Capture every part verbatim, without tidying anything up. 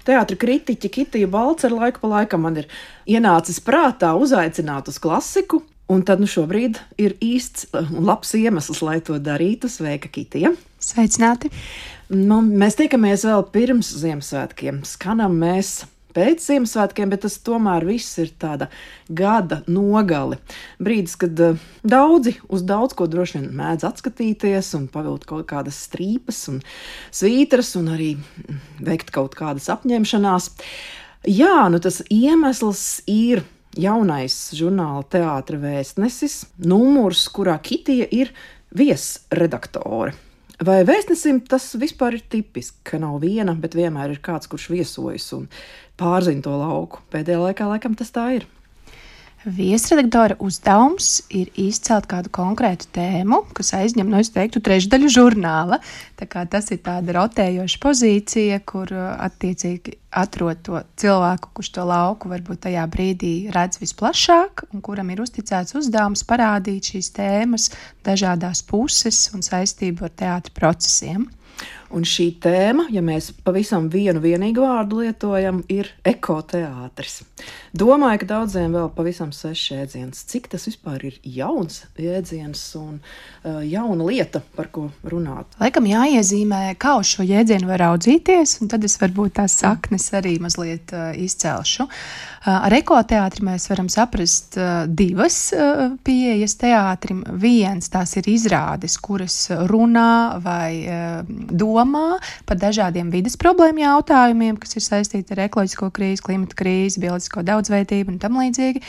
teātra kritiķi Kitija Balcera laiku pa laikam man ir ienācis prātā uzaicināt uz klasiku, un tad nu šobrīd ir īsts un labs iemesls, lai to darītu. Sveika, Kitija! Sveicināti! Nu, mēs tiekamies vēl pirms Ziemassvētkiem, skanam mēs pēc Ziemassvētkiem, bet tas tomēr viss ir tāda gada nogali. Brīdis, kad uh, daudzi uz daudz ko droši vien mēdz atskatīties un pavilkt kaut kādas strīpas un svītras un arī veikt kaut kādas apņemšanās. Jā, nu tas iemesls ir jaunais žurnāla Teātra vēstnesis, numurs, kurā Kitija ir viesredaktore. Vai vēstnesim tas vispār ir tipiski, ka nav viena, bet vienmēr ir kāds, kurš viesojas un pārzina to lauku? Pēdējā laikā laikam tas tā ir. Viesredaktora uzdevums ir izcelt kādu konkrētu tēmu, kas aizņem, nu es teiktu, trešdaļu žurnāla. Tā kā tas ir tāda rotējoša pozīcija, kur attiecīgi atrod to cilvēku, kurš to lauku varbūt tajā brīdī redz visplašāk un kuram ir uzticēts uzdevums parādīt šīs tēmas dažādās puses un saistību ar teātra procesiem. Un šī tēma, ja mēs pavisam vienu vienīgu vārdu lietojam, ir ekoteātris. Domāju, ka daudziem vēl pavisam svešs jēdziens. Cik tas vispār ir jauns jēdziens un uh, jauna lieta, par ko runāt? Laikam jāiezīmē, kā uz šo jēdzienu var raudzīties, un tad es varbūt tās saknes arī mazliet uh, izcelšu. Uh, ar ekoteātri mēs varam saprast uh, divas uh, pieejas teātrim. Viens, tās ir izrādes, kuras runā vai uh, domā par dažādiem vides problēmu jautājumiem, kas ir saistīti ar ekoloģisko krīzi, klimata krīzi, bioloģisko daudzveidību un tam līdzīgi.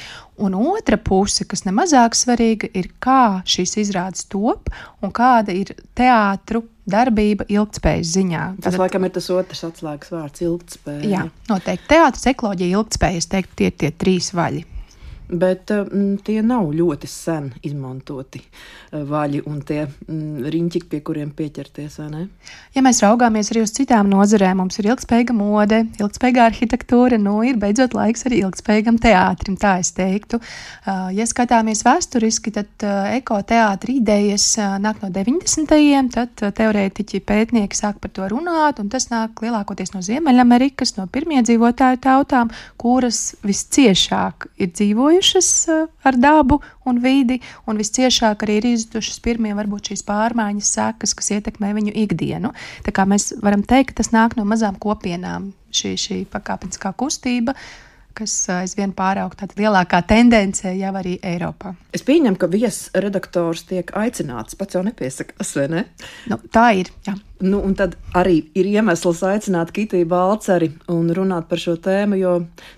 Un otra puse, kas nemazāk svarīga, ir kā šīs izrādes top un kāda ir teātru darbība ilgtspējas ziņā. Tas Tad, laikam ir tas otrs atslēgas vārds - ilgtspēja. Jā, noteikti. Teātris, ekoloģija, ilgtspēja, es teiktu, tie ir tie trīs vaļi. Bet mm, tie nav ļoti sen izmantoti vaļi un tie mm, riņķi, pie kuriem pieķerties, vai ne? Ja mēs raugāmies arī uz citām nozarēm, mums ir ilgspējīga mode, ilgspējīga arhitektūra, nu ir beidzot laiks arī ilgspējīgam teātrim, tā es teiktu. Ja skatāmies vēsturiski, tad ekoteātra idejas nāk no deviņdesmitajiem, tad teorētiķi pētnieki sāk par to runāt, un tas nāk lielākoties no Ziemeļamerikas, no pirmiedzīvotāju tautām, kuras visciešāk ir dzīvojuši ar dabu un vidi, un visciešāk arī ir izjutušas pirmie varbūt šīs pārmaiņas sekas, kas ietekmē viņu ikdienu. Tā kā mēs varam teikt, ka tas nāk no mazām kopienām, šī, šī pakāpeniskā kustība, kas aizvien pāraug tāda lielākā tendencē jau arī Eiropā. Es pieņemu, ka viesredaktors tiek aicināts, pats jau nepiesakās, vai ne? Nu, tā ir, jā. Nu, un tad arī ir iemesls aicināt Kitiju Balceri un runāt par šo tēmu, jo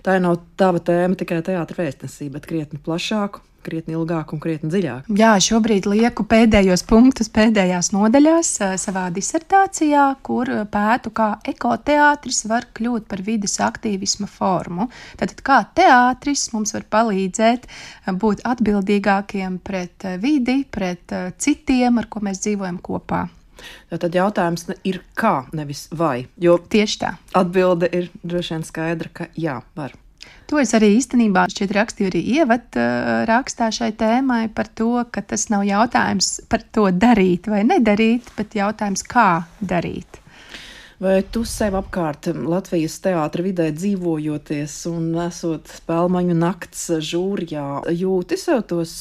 tā nav tava tēma tikai teātra vēstnesī, bet krietni plašāku, krietni ilgāk un krietni dziļāk. Jā, šobrīd lieku pēdējos punktus pēdējās nodaļās savā disertācijā, kur pētu, kā ekoteātris var kļūt par vides aktīvisma formu. Tātad kā teātris mums var palīdzēt būt atbildīgākiem pret vidi, pret citiem, ar ko mēs dzīvojam kopā. Tad jautājums ir kā, nevis vai. Jo tieši tā. Atbilde ir droši vien skaidra, ka jā, var. To es arī īstenībā šķiet rakstīju arī ievad rakstā šai tēmai par to, ka tas nav jautājums par to darīt vai nedarīt, bet jautājums kā darīt. Vai tu sev apkārt Latvijas teātra vidē dzīvojoties un esot Spēlmaņu nakts žūrijā, jūti sev tos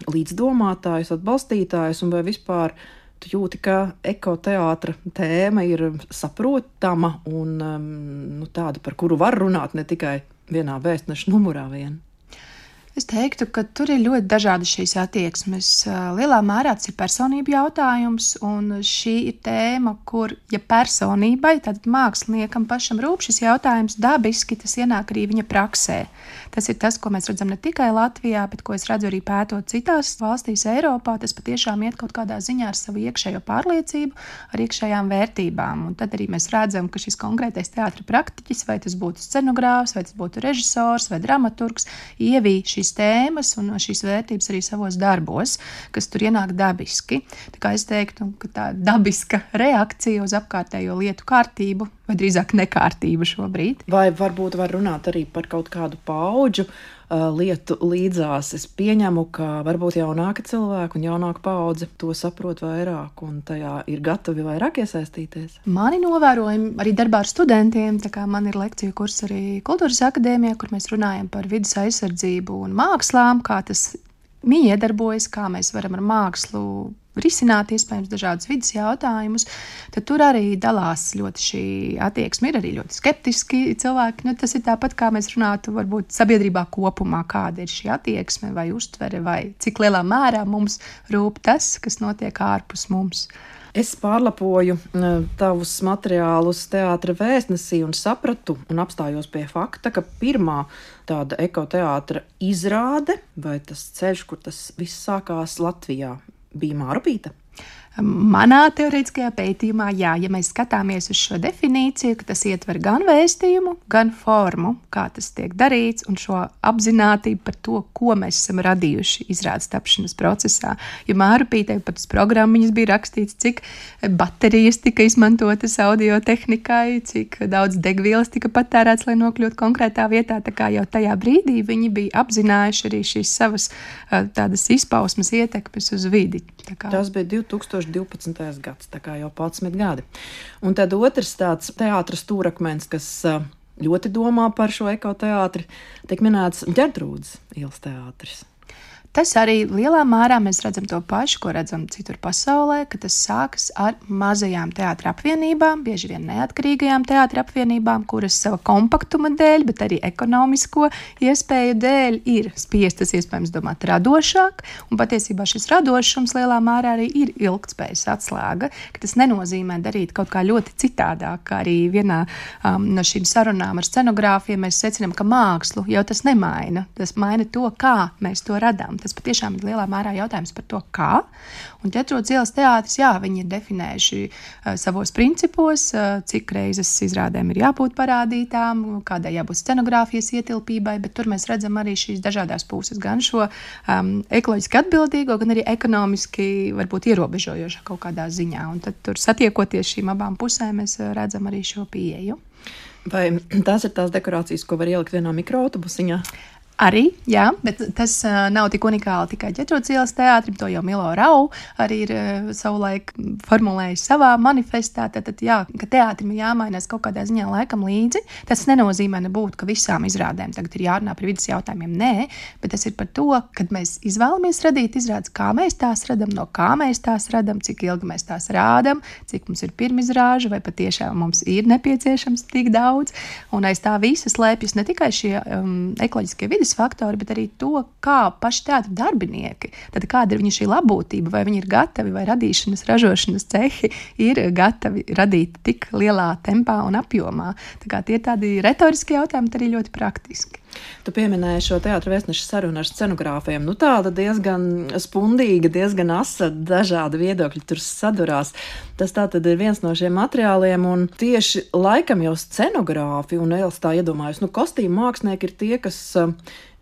līdzdomātājus, atbalstītājus un vai vispār tu jūti, ka ekoteātra tēma ir saprotama un um, nu, tāda, par kuru var runāt ne tikai vienā vēstneša numurā vien? Es teiktu, ka tur ir ļoti dažādas šīs attieksmes. Lielā mērā tas ir personību jautājums, un šī ir tēma, kur, ja personībai, tad māksliniekam pašam rūp šis jautājums, dabiski tas ienāk arī viņa praksē. Tas ir tas, ko mēs redzam ne tikai Latvijā, bet ko es redzu arī pētot citās valstīs Eiropā. Tas patiešām iet kaut kādā ziņā ar savu iekšējo pārliecību, ar iekšējām vērtībām. Un tad arī mēs redzam, ka šis konkrētais teātra praktiķis, vai tas būtu scenogrāfs, vai tas būtu režisors vai dramaturgs, ievī šīs tēmas un šīs vērtības arī savos darbos, kas tur ienāk dabiski. Tā kā es teiktu, ka tā dabiska reakcija uz apkārtējo lietu kārtību vai drīzāk nekārtība šobrīd. Vai varbūt var runāt arī par kaut kādu paudžu uh, lietu līdzās. Es pieņemu, ka varbūt jaunāka cilvēka un jaunāka paudze to saprot vairāk un tajā ir gatavi vairāk iesaistīties. Mani novērojumi arī darbā ar studentiem, tā kā man ir lekciju kurs arī Kultūras akadēmijā, kur mēs runājam par vides aizsardzību un mākslām, kā tas iedarbojas, kā mēs varam ar mākslu risināt iespējams dažādus vidas jautājumus, tad tur arī dalās ļoti šī attieksme, ir arī ļoti skeptiski cilvēki. Nu, tas ir tāpat, kā mēs runātu varbūt sabiedrībā kopumā, kāda ir šī attieksme vai uztvere, vai cik lielā mērā mums rūp tas, kas notiek ārpus mums. Es pārlapoju tavus materiālus Teātra vēstnesī un sapratu un apstājos pie fakta, ka pirmā tāda ekoteātra izrāde vai tas ceļš, kur tas viss sākās Latvijā, bija Mārupīte. Manā teorētiskajā pētījumā, jā, ja mēs skatāmies uz šo definīciju, ka tas ietver gan vēstījumu, gan formu, kā tas tiek darīts, un šo apzinātību par to, ko mēs esam radījuši izrādes tapšanas procesā. Jo Mārupītei pat uz programmiņas bija rakstīts, cik baterijas tika izmantotas audio tehnikai, cik daudz degvielas tika patērēts, lai nokļūtu konkrētā vietā. Tā kā jau tajā brīdī viņi bija apzinājuši arī šīs savas tādas izpausmes ietekmes uz vidi. Tā kā... Tas bija divtūkstoš divpadsmitais gads, tā kā jau padsmit gadi. Un tad otrs tāds teātra stūrakmens, kas ļoti domā par šo ekoteātri, tiek minēts Ģertrūdes ielas teātris. Tas arī lielā mērā mēs redzam to pašu, ko redzam citur pasaulē, ka tas sākas ar mazajām teātra apvienībām, bieži vien neatkarīgajām teātra apvienībām, kuras sava kompaktuma dēļ, bet arī ekonomisko iespēju dēļ ir spiestas iespējams domāt radošāk, un patiesībā šis radošums lielā mērā arī ir ilgtspējas atslēga, ka tas nenozīmē darīt kaut kā ļoti citādāk, kā arī vienā um, no šīm sarunām ar scenogrāfiem mēs secinām, ka mākslu jau tas nemaina, tas maina to, kā mēs to radām. Tas patiešām ir lielā mērā jautājums par to, kā. Un Ģertrūdes ielas teātris, jā, viņi ir definējuši uh, savos principos, uh, cik reizes izrādēm ir jābūt parādītām, kādai jābūt scenogrāfijas ietilpībai, bet tur mēs redzam arī šīs dažādās puses, gan šo um, ekoloģiski atbildīgo, gan arī ekonomiski varbūt ierobežojošā kaut kādā ziņā. Un tad tur satiekoties šīm abām pusēm, mēs redzam arī šo pieeju. Vai tās ir tās dekorācijas, ko var ielikt vienā mikroautobusiņā? Arī, jā, bet tas uh, nav tik unikāli tikai Ģertrūdes ielas teātrim, to jau Milo Rau arī ir uh, savulaik formulējis savā manifestā, tad, tad jā, ka teātrim ir jāmainās kaut kādā ziņā laikam līdzi. Tas nenozīmē nebūtu, ka visām izrādēm tagad ir jārunā par vidas jautājumiem, nē, bet tas ir par to, kad mēs izvēlamies radīt izrādes, kā mēs tās radam, no kā mēs tās radam, cik ilgi mēs tās rādam, cik mums ir pirmizrāža, vai patiešām mums ir nepieciešams tik daudz, un aiz tā visa slēpjas ne tikai šie um, ekoloģiskie vidas faktori, bet arī to, kā paši teātra darbinieki, tad kāda ir viņa šī labūtība, vai viņi ir gatavi, vai radīšanas, ražošanas cehi ir gatavi radīt tik lielā tempā un apjomā. Tā kā tie ir tādi retoriski jautājumi, bet arī ļoti praktiski. Tu pieminēji šo teātra vēstneša sarunu ar scenogrāfiem. Nu tāda diezgan spundīga, diezgan asa, dažādi viedokļi tur sadurās. Tas tātad ir viens no šiem materiāliem, un tieši laikam jau scenogrāfi, un es tā iedomājos, nu kostīmu mākslinieki ir tie, kas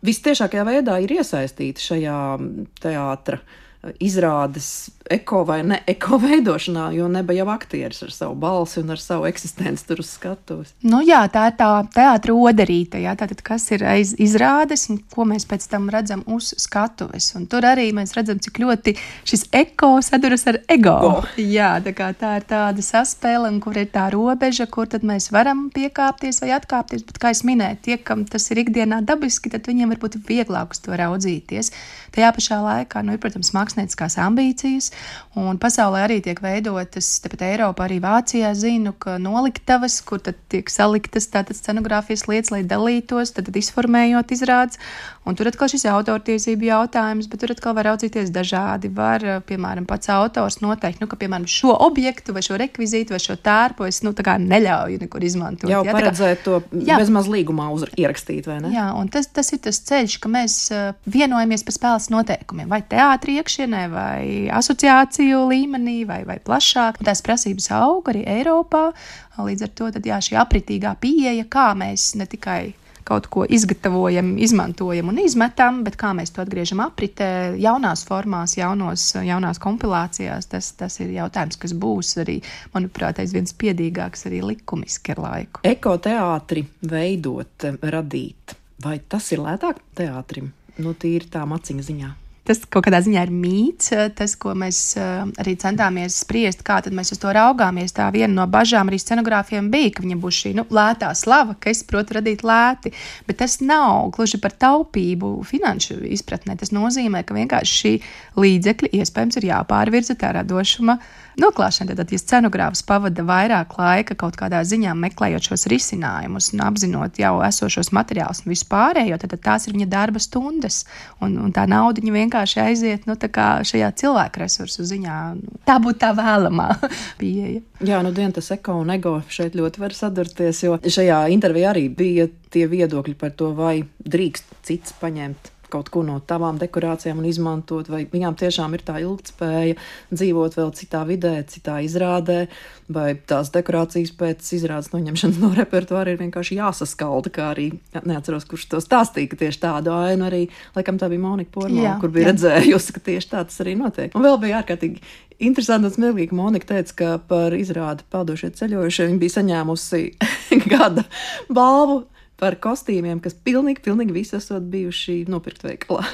vistiešākajā veidā ir iesaistīti šajā teātra izrādes eko vai ne eko veidošanā, jo neba jau aktieris ar savu balsi un ar savu eksistenci tur uz skatuves. Nu jā, tā ir tā teātra oderīte, jā, tātad kas ir aiz izrādes un ko mēs pēc tam redzam uz skatuves. Un tur arī mēs redzam, cik ļoti šis eko saduras ar ego. Oh. Jā, tā kā tā ir tāda saspēle, un kur ir tā robeža, kur tad mēs varam piekāpties vai atkāpties, bet kā es minēju, tie, kam tas ir ikdienā dabiski, tad viņiem varbūt vieglāk uz to raudzīties. Tajā pašā laikā, nu ir, protams, mākslinieckās ambīcijas, un pasaulē arī tiek veidotas, tepat Eiropā, arī Vācijā zinu, ka noliktavas, kur tad tiek saliktas tātad scenogrāfijas lietas, lai dalītos, tad izformējot izrādes, un tur atkal šis autortiesību jautājums, bet tur atkal var raudzīties dažādi. Var, piemēram, pats autors noteikt, nu, ka, piemēram, šo objektu vai šo rekvizītu vai šo tērpu es, nu, tā kā neļauju nekur izmantot. Jau jā, paredzēt kā, to jā. bezmaz līgumā uz, ierakstīt, vai ne? Jā, un tas, tas ir tas ceļš, ka mēs vienojamies par spēles noteikumiem, vai teātri iekšienē, vai asociāciju līmenī, vai, vai plašāk. Un tās prasības aug arī Eiropā, līdz ar to tad, jā, šī apritīgā pieeja, kā mēs ne tikai kaut ko izgatavojam, izmantojam un izmetam, bet kā mēs to atgriežam apritē, jaunās formās, jaunos, jaunās kompilācijās, tas, tas ir jautājums, kas būs arī, manuprāt, aizvien spiedīgāks arī likumiski ar laiku. Ekoteātri veidot, radīt, vai tas ir lētāk teātrim? Nu, tīri tā maciņa ziņā. Tas kaut kādā ziņā ir mīts, tas, ko mēs arī centāmies spriest, kā tad mēs uz to raugāmies. Tā viena no bažām arī scenogrāfiem bija, ka viņam būs šī nu, lētā slava, ka es protu radīt lēti, bet tas nav gluži par taupību finanšu izpratnē. Tas nozīmē, ka vienkārši šī līdzekļi iespējams ir jāpārvirza tā radošuma noklāšana. Tad, ja scenogrāfs pavada vairāk laika kaut kādā ziņā meklējot šos risinājumus un apzinot jau esošos materiālus un visu pārējo, tad, tad tās ir viņa darba stundas un, un tā nauda viņa vienkārši aiziet nu, tā kā šajā cilvēku resursu ziņā. Tā būtu tā vēlamā pieeja. Jā, nu dien tas eko un ego šeit ļoti var sadurties, jo šajā intervijā arī bija tie viedokļi par to, vai drīkst cits paņemt kaut ko no tavām dekorācijām un izmantot, vai viņām tiešām ir tā ilgtspēja dzīvot vēl citā vidē, citā izrādē, vai tās dekorācijas pēc izrādes noņemšanas no repertuāra ir vienkārši jāsaskalda, kā arī, neatceros, kurš to stāstīja, ka tieši tādu ainu arī, laikam tā bija Monika Pormala, kur bija jā. redzējusi, ka tieši tā tas arī notiek. Un vēl bija ārkārtīgi interesanti un smieklīgi, Monika teica, ka par izrādi Peldošie ceļojušie viņa bija saņēmusi gada balvu par kostīmiem, kas pilnīgi, pilnīgi visi esot bijuši nopirkt veikalā.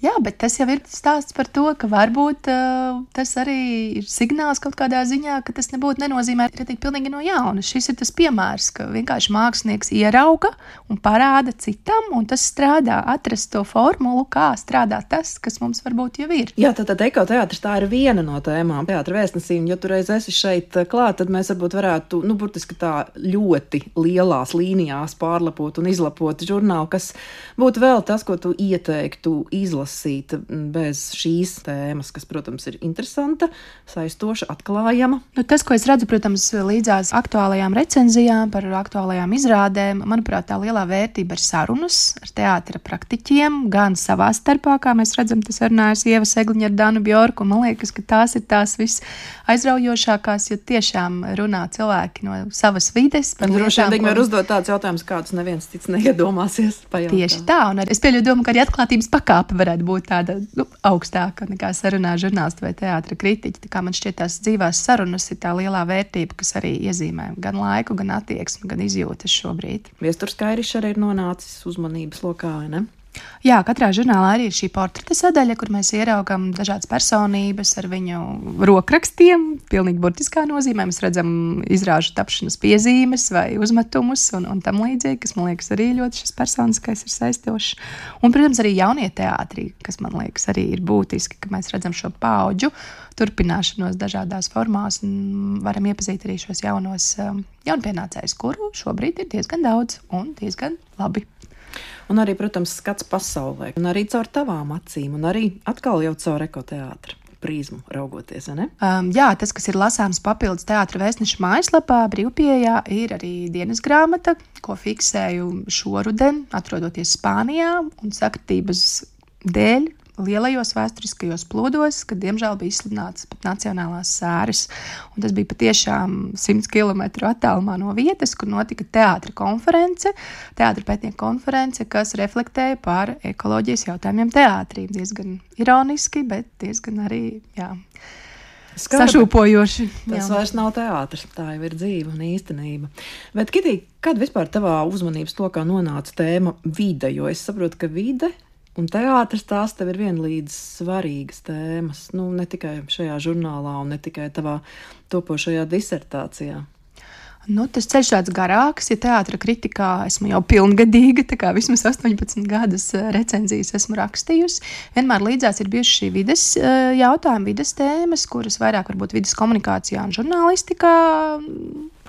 Jā, bet tas jau ir stāsts par to, ka varbūt uh, tas arī ir signāls kaut kādā ziņā, ka tas nebūtu nenozīmē radīt pilnīgi no jauna. Šis ir tas piemērs, ka vienkārši mākslinieks ierauga un parāda citam, un tas strādā, atrast to formulu, kā strādā tas, kas mums varbūt jau ir. Jā, tad, tad ekoteātris tā ir viena no tēmām teātra vēstnesīm. Ja tu reiz esi šeit klāt, tad mēs varbūt varētu, nu, burtiski tā ļoti lielās līnijās pārlapot un izlapot žurnālu, kas būtu vēl tas, ko tu ieteiktu izlasīt bez šīs tēmas, kas, protams, ir interesanta, saistoša, atklājama. Nu, tas, ko es redzu, protams, līdzās aktuālajām recenzijām par aktuālajām izrādēm, manuprāt, tā lielā vērtība ir sarunas ar teātra praktiķiem, gan savā starpā, kā mēs redzam, tas runājas Ieva Segliņa ar Danu Bjorku, un man liekas, ka tās ir tās viss aizraujošākās, jo tiešām runā cilvēki no savas vides. Droši vien viņi var uzdot tādus jautājumus, kādus neviens cits neiedomāsies pajautāt. Tieši tā, un es pieļauju domu, ka arī atklātības pakāpe varētu būt tāda nu, augstāka nekā sarunā žurnālisti vai teātra kritiķi. Tā kā man šķiet tās dzīvās sarunas ir tā lielā vērtība, kas arī iezīmē gan laiku, gan attieksmi, gan izjūtas šobrīd. Viesturs Kairišs arī ir nonācis uzmanības lokā, ne? Jā, katrā žurnālā arī ir šī portreta sadaļa, kur mēs ieraugam dažādas personības ar viņu rokrakstiem, pilnīgi burtiskā nozīmē. Mēs redzam izrāžu tapšanas piezīmes vai uzmetumus un, un tam līdzīgi, kas, man liekas, arī ļoti šis personiskais ir saistošs. Un, protams, arī jaunie teātri, kas, man liekas, arī ir būtiski, ka mēs redzam šo paudžu turpināšanos dažādās formās un varam iepazīt arī šos jaunos jaunpienācējus, kuru šobrīd ir diezgan daudz un diezgan labi. Un arī, protams, skats pasaulē, un arī caur tavām acīm, un arī atkal jau caur ekoteātra prizmu raugoties, vai ne? Um, jā, tas, kas ir lasāms papildus teātra vēstneša mājaslapā, brīvpieejā, ir arī dienas grāmata, ko fiksēju šoruden, atrodoties Spānijā un sakritības dēļ lielajos vēsturiskajos plūdos, kad, diemžēl, bija izsludināts pat nacionālās sēras. Un tas bija patiešām simts kilometru attālumā no vietas, kur notika teātra konference, teātra pētnieku konference, kas reflektēja par ekoloģijas jautājumiem teātrī. Diezgan ironiski, bet diezgan arī, jā, Skarbi. Sašūpojoši. Tas jā. Vairs nav teātris, tā jau ir dzīve un īstenība. Bet, Kitī, kad vispār tavā uzmanības lokā nonāca tēma vide? Jo es saprotu, ka vide un teātris tās tev ir vienlīdz svarīgas tēmas, nu, ne tikai šajā žurnālā un ne tikai tavā topošajā disertācijā. Nu, tas ceļš tāds garāks, ja teātra kritikā esmu jau pilngadīga, tā kā vismaz astoņpadsmit gadus recenzijas esmu rakstījusi. Vienmēr līdzās ir bijuši šī vides jautājumi, vides tēmas, kuras vairāk varbūt vides komunikācijā un žurnālistikā,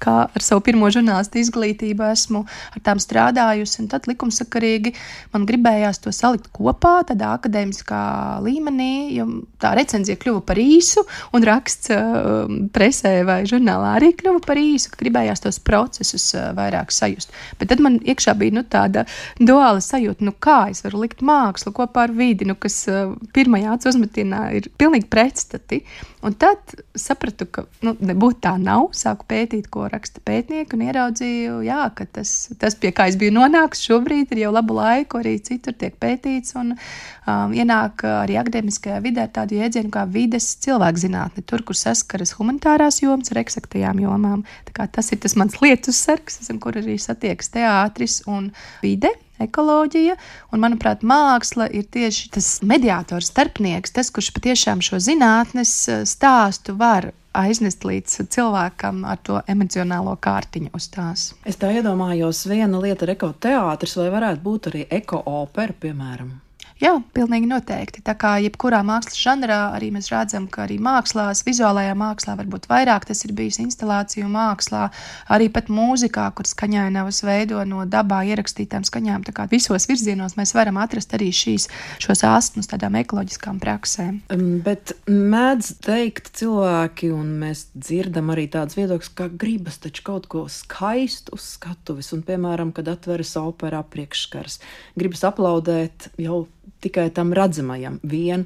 kā ar savu pirmo žurnālistu izglītību esmu ar tām strādājusi, un tad likumsakarīgi man gribējās to salikt kopā tādā akadēmiskā līmenī, jo tā recenzija kļuva par īsu, un raksts uh, presē vai žurnālā arī kļuva par īsu, ka gribējās tos procesus uh, vairāk sajust. Bet tad man iekšā bija nu, tāda duāla sajūta, nu kā es varu likt mākslu kopā ar vidi, nu, kas uh, pirmajā acu uzmetienā ir pilnīgi pretstati. Un tad sapratu, ka nu, nebūtu tā nav, sāku pētīt, ko raksta pētnieki un ieraudzīju, jā, ka tas, tas, pie kā es biju nonākusi šobrīd, ir jau labu laiku, arī citur tiek pētīts un um, ienāk arī akadēmiskajā vidē tādu jēdzienu kā vides cilvēkzinātne, tur, kur saskaras humanitārās jomas ar eksaktajām jomām. Tā kā tas ir tas mans lietus sargs, kur arī satiekas teātris un vide, ekoloģija, un, manuprāt, māksla ir tieši tas mediātors, starpnieks, tas, kurš patiešām šo zinātnes stāstu var aiznest līdz cilvēkam ar to emocionālo kārtiņu uz tās. Es tā iedomājos, viena lieta ir ekoteātris, vai varētu būt arī ekoopera, piemēram? Jā, pilnīgi noteikti. Tā kā jebkurā mākslas žanrā arī mēs redzam, ka arī mākslās, vizuālajā mākslā varbūt vairāk tas ir bijis instalāciju mākslā, arī pat mūzikā, kur skaņainavas veido no dabā ierakstītām skaņām. Tā kā visos virzienos mēs varam atrast arī šīs, šos astmus tādām ekoloģiskām praksēm. Bet mēdz teikt cilvēki, un mēs dzirdam arī tādas viedokļas, ka gribas taču kaut ko skaistu uz skatuves, un, piemēram, kad atveras opera priekšskars, gribas aplaudēt jau tikai tam redzamajam vien,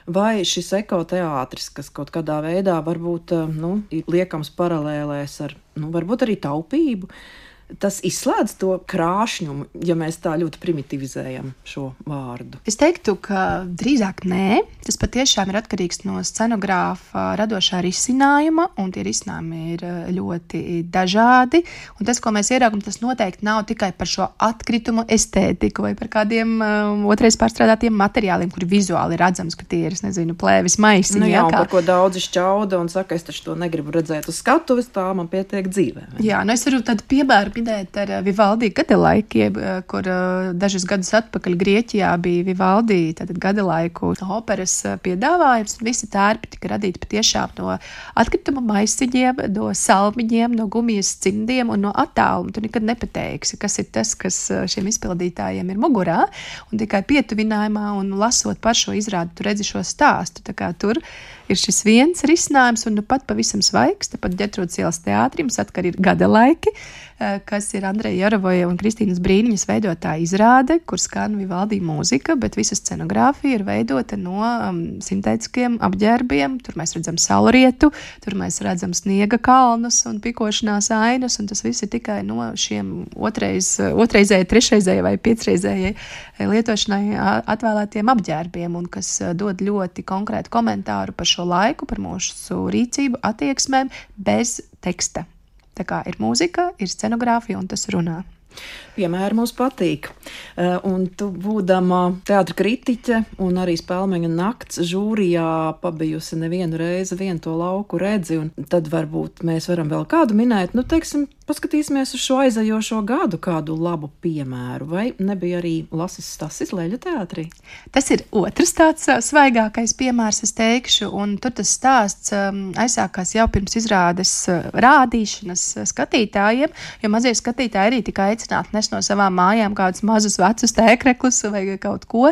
vai šis ekoteātris, kas kaut kādā veidā varbūt, nu, liekams paralēlēs ar, nu, varbūt arī taupību, tas izslēdz to krāšņumu, ja mēs tā ļoti primitivizējam šo vārdu? Es teiktu, ka drīzāk nē. Tas patiešām ir atkarīgs no scenogrāfa radošā risinājuma, un tie risinājumi ir ļoti dažādi. Un tas, ko mēs ieraugam, tas noteikti nav tikai par šo atkritumu estētiku vai par kādiem um, otrais pārstrādātiem materiāliem, kuri vizuāli redzams, ka tie ir, es nezinu, plēvis maisiņi. Nu jā, un kā... par ko daudzi šķauda un saka, es taču to negribu redzēt uz skatuves, tā man pietiek dzīvē. Jā, nu es varu tādu piemēru minēt ar Vivaldi gadalaikiem, kur dažus gadus atpakaļ Grieķijā bija Vivaldi tātad gadalaiku operas piedāvājums, un visi tērpi tika radīti patiešām no atkrituma maisiņiem, no salmiņiem, no gumijas cimdiem un no attāluma. Tu nekad nepateiksi, kas ir tas, kas šiem izpildītājiem ir mugurā, un tikai pietuvinājumā un lasot par šo izrādi, tu redzi šo stāstu. Tā kā tur ir šis viens risinājums, un nu pat pavisam svaigs, tepat Ģertrūdes ielas teātrim, atkal ir gadalaiki, kas ir Andreja Jarovoja un Kristīnas Brīniņas veidotā izrāde, kur skan Vivaldi mūzika, bet visa scenogrāfija ir veidota no um, sintētiskiem apģērbiem. Tur mēs redzam saulrietu, tur mēs redzam sniega kalnus un pikošanās ainas, un tas viss ir tikai no šiem otrais, otrreizēji, trešreizēji vai piecreizēji lietošanai atvēlētiem apģērbiem, un kas dod ļoti konkrētu komentāru par šo laiku, par mūsu rīcību, attieksmēm bez teksta. Tā kā ir mūzika, ir scenogrāfija un tas runā. Piemēri mums patīk. Un tu, būdama teātra kritiķe un arī Spēlmeņa nakts žūrijā pabijusi nevienu reizi vienu to lauku redzi, un tad varbūt mēs varam vēl kādu minēt, nu, teiksim, paskatīsimies uz šo aizajošo gadu kādu labu piemēru, vai nebija arī Lasis Stasis Leļu teātrī? Tas ir otrs tāds svaigākais piemērs, es teikšu, un tur tas stāsts aizsākās jau pirms izrādes rādīšanas skatītājiem, jo mazie skatītāji arī tika aicināti nes no savām mājām kādus mazus vecus tēkreklus vai kaut ko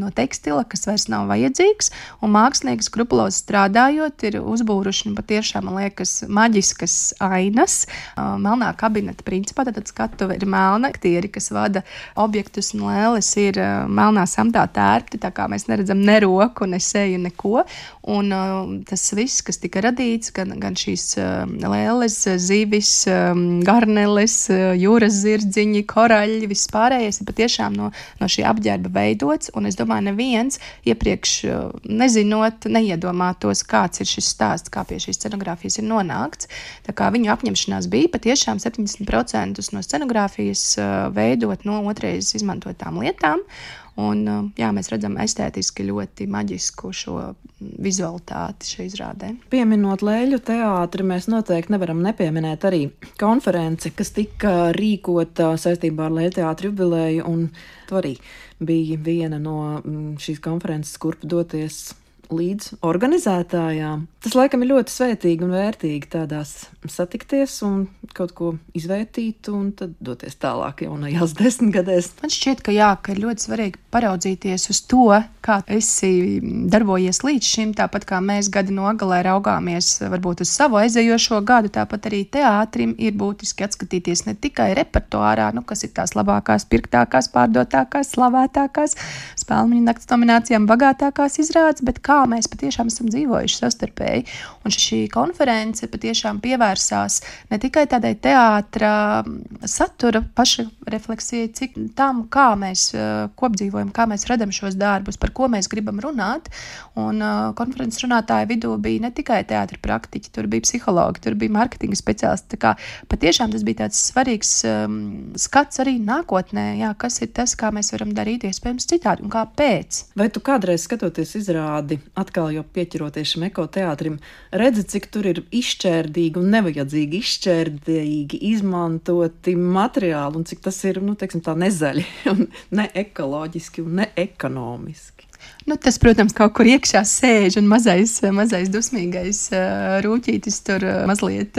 no tekstila, kas vairs nav vajadzīgs, un mākslinieki skrupulozi strādājot ir uzbūruši patiešām, man liekas, maģiskas ainas, melnā kabineta principā, tad skatuve ir melna, aktieri, kas vada objektus un lēles ir melnā samtā tērpti, tā kā mēs neredzam ne roku, ne seju, neko, un uh, tas viss, kas tika radīts, gan, gan šīs uh, lēles, zivis, um, garneles, uh, jūras zirdziņi, koraļi, viss pārējais ir patiešām no, no šī apģērba veidots, un es domāju, neviens iepriekš uh, nezinot, neiedomātos, kāds ir šis stāsts, kā pie šīs scenogrāfijas ir nonākts. Tā kā viņu apņemšanās bija patiešām septiņdesmit procentus no scenogrāfijas uh, veidot no otrais izmantotām lietām. Un, uh, jā, mēs redzam estētiski ļoti maģisku šo vizualitāti šai izrādē. Pieminot Leļu teātri, mēs noteikti nevaram nepieminēt arī konferenci, kas tika rīkota saistībā ar Leļu teātri jubileju, un tu arī bija viena no šīs konferences, kurp doties līdz organizētājām. Tas laikam ir ļoti svētīgi un vērtīgi tādās satikties un kaut ko izvērtīt un tad doties tālāk jaunajās desmitgadēs. Man šķiet, ka jā, ka ir ļoti svarīgi paraudzīties uz to, kā esi darbojies līdz šim, tāpat kā mēs gadi nogalē raugāmies varbūt uz savu aizejošo gadu, tāpat arī teātrim ir būtiski atskatīties ne tikai repertuārā, nu, kas ir tās labākās, pirktākās, pārdotākās, slavētākās, Spēlmeņa nakts nominācijām bagātākās izrādes, bet kā kā mēs patiešām esam dzīvojuši savstarpēji. Un šī konference patiešām pievērsās ne tikai tādai teātra satura paša refleksijai, cik tam, kā mēs kopdzīvojam, kā mēs radam šos darbus, par ko mēs gribam runāt. Un konferences runātāja vidū bija ne tikai teātra praktiķi, tur bija psihologi, tur bija marketinga speciālisti. Tā kā patiešām tas bija tāds svarīgs um, skats arī nākotnē, jā, kas ir tas, kā mēs varam darīt iespējams citādi un kāpēc. Vai tu kādreiz skatoties izrādi, atkal jau pieķeroties šim ekoteātrim, redzi, cik tur ir izšķērdīgi un nevajadzīgi izšķērdīgi izmantoti materiāli un cik tas ir, nu, teiksim tā, nezaļi un ne ekoloģiski un ne ekonomiski? Nu, tas, protams, kaut kur iekšā sēž un mazais, mazais dusmīgais uh, rūķītis tur uh, mazliet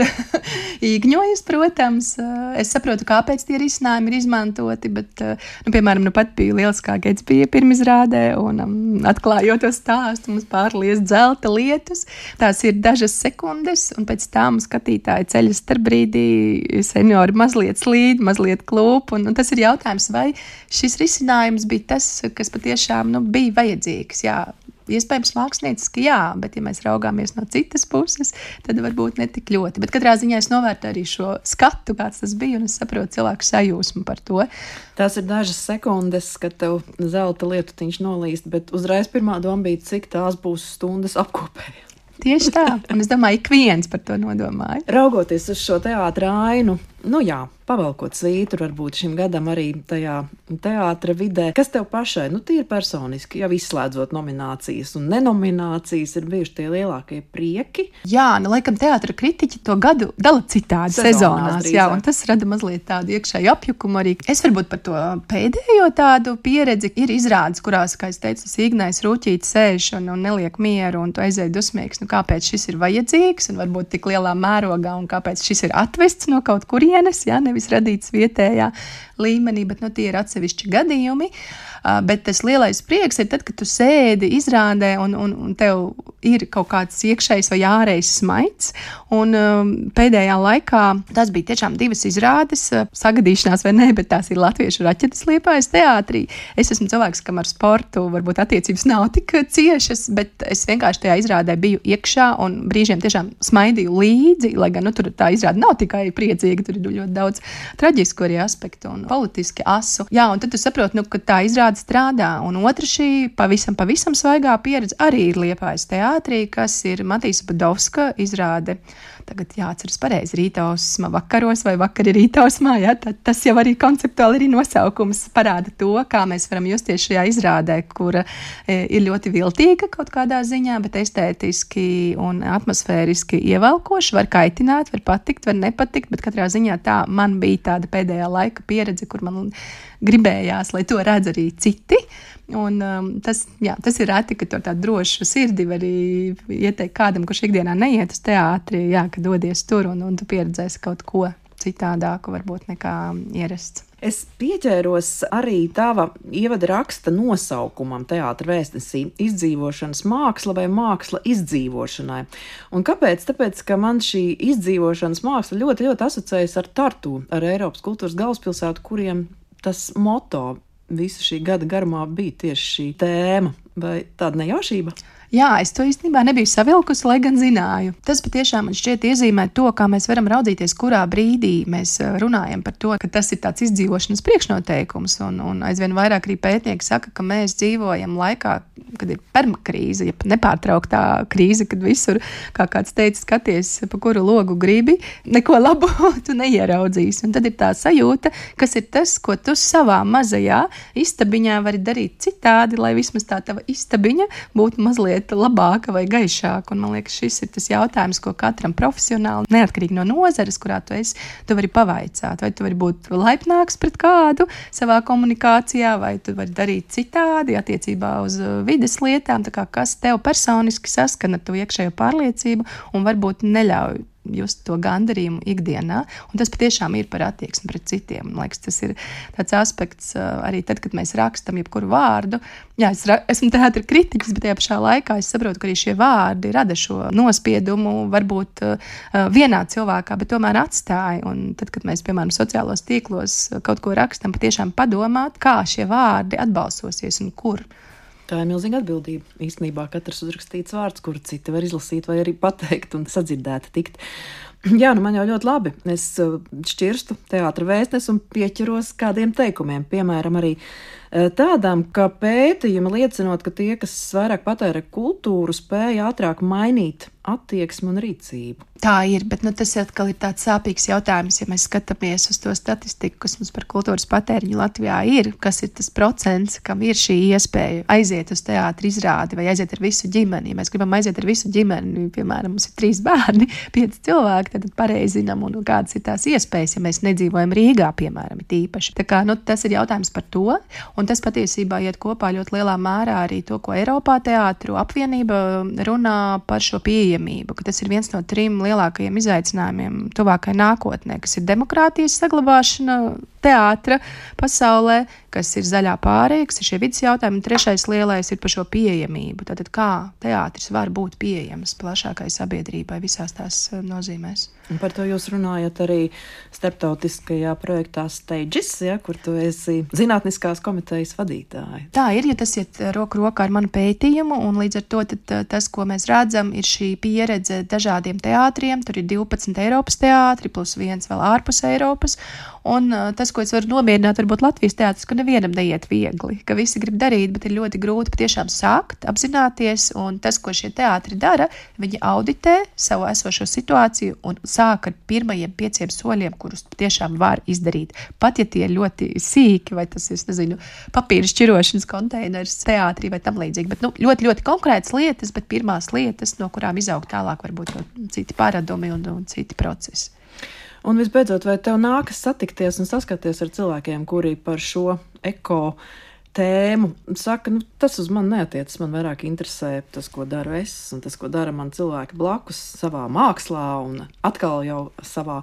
īgņojas, protams. Uh, es saprotu, kāpēc tie risinājumi ir izmantoti, bet, uh, nu, piemēram, nu pat bija lieliskā Gatsbija pirmizrādē un um, atklājot to stāstu, mums pārlies dzelta lietus. Tās ir dažas sekundes, un pēc tam skatītāji ceļas starp brīdī, seniori mazliet slīd, mazliet klūp, un, un tas ir jautājums, vai šis risinājums bija tas, kas patiešām, nu, bija vajadzīgs. Jā, iespējams mākslinieciski jā, bet ja mēs raugāmies no citas puses, tad varbūt ne tik ļoti. Bet katrā ziņā es novērtu arī šo skatu, kāds tas bija, un es saprotu cilvēku sajūsmu par to. Tās ir dažas sekundes, kad tev zelta lietutiņš nolīst, bet uzreiz pirmā doma bija, cik tās būs stundas apkopēja. Tieši tā, un es domāju, ik viens par to nodomāja. Raugoties uz šo teātra ainu, nu jā, pavelkot svītru varbūt šim gadam arī tajā teātra vidē, kas tev pašai, nu tīri personiski, jau izslēdzot nominācijas un nenominācijas, ir bijuši tie lielākie prieki? Jā, nu laikam teātra kritiķi to gadu dala citādi sezonās, sezonās jā, un tas rada mazliet tādu iekšēju apjukumu arī. Es varbūt par to pēdējo tādu pieredzi ir izrādes, kurās, kā es teicu, Ignais Rūķītis sēž un, un neliek mieru, un tu aizēji dusmīgs, nu kāpēc šis ir vajadzīgs, un varbūt tik lielā mērogā, un kāpēc šis ir atvests no kaut kurienes, jā, nevis radīts vietējā līmenī, bet nu, tie ir atsevišķi gadījumi. Uh, bet tas lielais prieks ir tad, kad tu sēdi izrādē un, un, un tev ir kaut kāds iekšējs vai ārējs smaids. Un um, pēdējā laikā tas bija tiešām divas izrādes, uh, sagadīšanās vai ne, bet tās ir latviešu raķetes Liepājas teātrī. Es esmu cilvēks, kam ar sportu varbūt attiecības nav tik ciešas, bet es vienkārši tajā izrādē biju iekšā un brīžiem tiešām smaidīju līdzi, lai gan nu, tur tā izrāde nav tikai priecīga, tur ir ļoti daudz traģisku arī aspektu un politiski asu. Jā, un tad tu saproti, nu, ka tā izrāde strādā. Un otra šī pavisam, pavisam svaigā pieredze arī ir Liepājas teātrī, kas ir Matīsa Budovska izrāde. Tagad jāatceras pareizi, rītausma vakaros vai vakari rītausmā, jā, tad tas jau arī konceptuāli arī nosaukums parāda to, kā mēs varam justies šajā izrādē, kura e, ir ļoti viltīga kaut kādā ziņā, bet estētiski un atmosfēriski ievelkoši, var kaitināt, var patikt, var nepatikt, bet katrā ziņā tā man bija tāda pēdējā laika pieredze, kur man gribējās, lai to redz arī citi. Un, um, tas, jā, tas ir reti, ka to tādu drošu sirdi var arī ieteikt kādam, kurš ikdienā neiet uz teātri, jā, ka dodies tur un, un tu pieredzēsi kaut ko citādāku varbūt nekā ierasts. Es pieķēros arī tava ievada raksta nosaukumam teātra vēstnesī – izdzīvošanas māksla vai māksla izdzīvošanai. Un kāpēc? Tāpēc, ka man šī izdzīvošanas māksla ļoti, ļoti asociējas ar Tartu, ar Eiropas kultūras galvaspilsētu, kuriem tas moto visu šī gada garumā bija tieši šī tēma. Vai tāda nejaušība? Jā, es to īstenībā nebiju savilkusi, lai gan zināju. Tas patiešām man šķiet iezīmē to, kā mēs varam raudzīties, kurā brīdī mēs runājam par to, ka tas ir tāds izdzīvošanas priekšnoteikums. Un, un aizvien vairāk arī pētnieki saka, ka mēs dzīvojam laikā, kad ir permakrīze, ja nepārtrauktā krīze, kad visur, kā kāds teica, skaties, pa kuru logu gribi, neko labu tu neieraudzīsi. Un tad ir tā sajūta, kas ir tas, ko tu savā mazajā istabiņā vari darīt citādi, lai vismaz tā tava istabiņa būtu mazliet labāka vai gaišāka. Un man liekas, šis ir tas jautājums, ko katram profesionāli, neatkarīgi no nozares, kurā tu esi, tu vari pavaicāt. Vai tu vari būt laipnāks pret kādu savā komunikācijā, vai tu vari darīt citādi attiecībā uz vides lietām, tā kā kas tev personiski saskana ar to iekšējo pārliecību un varbūt neļauj just to gandarījumu ikdienā, un tas patiešām ir par attieksmi pret citiem. Man liekas, tas ir tāds aspekts arī tad, kad mēs rakstam jebkuru vārdu. Jā, es ra- esmu teātra kritiķis, bet tajā pašā laikā es saprotu, ka arī šie vārdi rada šo nospiedumu varbūt uh, vienā cilvēkā, bet tomēr atstāja. Un tad, kad mēs, piemēram, sociālos tīklos kaut ko rakstam, patiešām padomāt, kā šie vārdi atbalsosies un kur. Tā ir milzīga atbildība. Īstenībā katrs uzrakstīts vārds, kuru citi var izlasīt vai arī pateikt un sadzirdēti tikt. Jā, nu man jau ļoti labi. Es šķirstu teātra vēstnes un pieķeros kādiem teikumiem, piemēram, arī tādām, ka pētījumi liecinot, ka tie, kas vairāk patērē kultūru, spēja ātrāk mainīt attieksmi un rīcību. Tā ir, bet nu, tas atkal ir tāds sāpīgs jautājums, ja mēs skatāmies uz to statistiku, kas mums par kultūras patēriņu Latvijā ir, kas ir tas procents, kam ir šī iespēja aiziet uz teātra izrādi vai aiziet ar visu ģimeni. Ja mēs gribam aiziet ar visu ģimeni, piemēram, mums ir trīs bērni, pieci cilvēki, tad pareizi zinām, un kādas ir tās iespējas, ja mēs nedzīvojam Rīgā, piemēram, ir īpaši. Tā kā, nu, tas ir jautājums par to, un tas patiesībā iet kopā ļoti lielā mērā arī to, ko Eiropā teātru apvienība runā par šo pieejamību, ka tas ir viens no trim lielākajiem izaicinājumiem tuvākai nākotnē, kas ir demokrātijas saglabāšana teātra pasaulē, kas ir zaļā pārēja, kas ir šie vidas jautājumi, un trešais lielais ir par šo pieejamību. Tātad kā teātris var būt pieejams plašākai sabiedrībai visās tās nozīmēs. Un par to jūs runājat arī starptautiskajā projektā Stages, ja, kur tu esi zinātniskās komitejas vadītāja. Tā ir, ja tas iet roku rokā ar manu pētījumu, un līdz ar to tad, tas, ko mēs redzam, ir šī pieredze dažādiem teātriem. Tur ir divpadsmit Eiropas teātri, plus viens vēl ārpus Eiropas. Un tas, ko es varu nomierināt, varbūt Latvijas teātris, ka nevienam neiet viegli, ka visi grib darīt, bet ir ļoti grūti patiešām sākt, apzināties, un tas, ko šie teātri dara, viņi auditē savu esošo situāciju un sāk ar pirmajiem pieciem soļiem, kurus tiešām var izdarīt. Pat ja tie ir ļoti sīki, vai tas ir, nezinu, papīra šķirošanas konteiners teātrī vai tam līdzīgi, bet nu, ļoti, ļoti konkrētas lietas, bet pirmās lietas, no kurām izaug tālāk varbūt citi paradumi un, un citi procesi. Un visbeidzot, vai tev nākas satikties un saskaties ar cilvēkiem, kuri par šo eko tēmu saka, nu, tas uz mani neatiecas, man vairāk interesē tas, ko daru es, un tas, ko dara man cilvēki blakus savā mākslā un atkal jau savā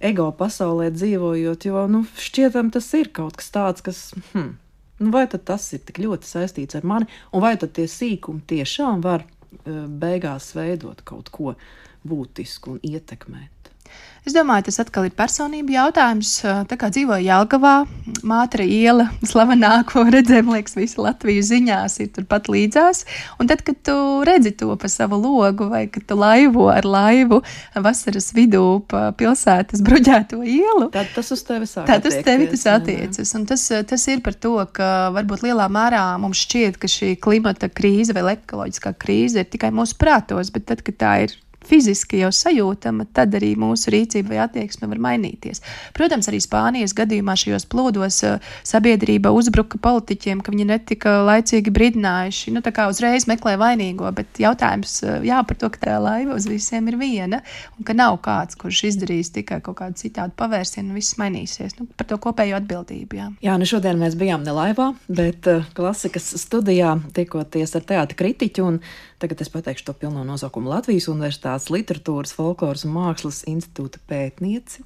ego pasaulē dzīvojot, jo, nu, šķietam tas ir kaut kas tāds, kas, hm, nu, vai tad tas ir tik ļoti saistīts ar mani, un vai tad tie sīkumi tiešām var beigās veidot kaut ko būtisku un ietekmēt? Es domāju, tas atkal ir personība jautājums. Tā kā dzīvoju Jelgavā, Mātra iela, slavenāko redzēm, liekas, visi Latviju ziņās ir turpat līdzās. Un tad, kad tu redzi to pa savu logu vai kad tu laivo ar laivu vasaras vidū pa pilsētas bruģēto ielu, tad tas uz tevi sāk tad uz tevi tas attiecas. Un tas, tas ir par to, ka varbūt lielā mērā mums šķiet, ka šī klimata krīze vai ekoloģiskā krīze ir tikai mūsu prātos, bet tad, kad tā ir fiziski jau sajūtama, tad arī mūsu rīcība vai attieksme var mainīties. Protams, arī Spānijas gadījumā šajos plūdos sabiedrība uzbruka politiķiem, ka viņi netika laicīgi brīdinājuši. Nu, tā kā uzreiz meklē vainīgo, bet jautājums, jā, par to, ka tā laiva uz visiem ir viena, un ka nav kāds, kurš izdarīs tikai kaut kādu citādu pavērsienu, un viss mainīsies. Nu, par to kopējo atbildību, jā. Jā, nu šodien mēs bijām ne laivā, bet uh, klasikas studijā tikoties ar teātra kritiķu, un tagad es pateikšu to pilno nosaukumu Latvijas Universitātes Literatūras, folkloras un mākslas institūta pētnieci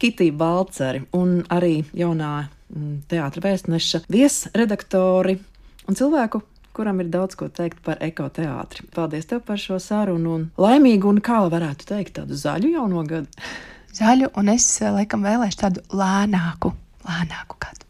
Kitiju Balceri un arī jaunā mm, teātra vēstneša viesredaktori un cilvēku, kuram ir daudz ko teikt par ekoteātri. Paldies tev par šo sarunu un laimīgu un, kā varētu teikt, tādu zaļu jauno gadu. Zaļu, un es laikam vēlēšu tādu lēnāku, lēnāku gadu.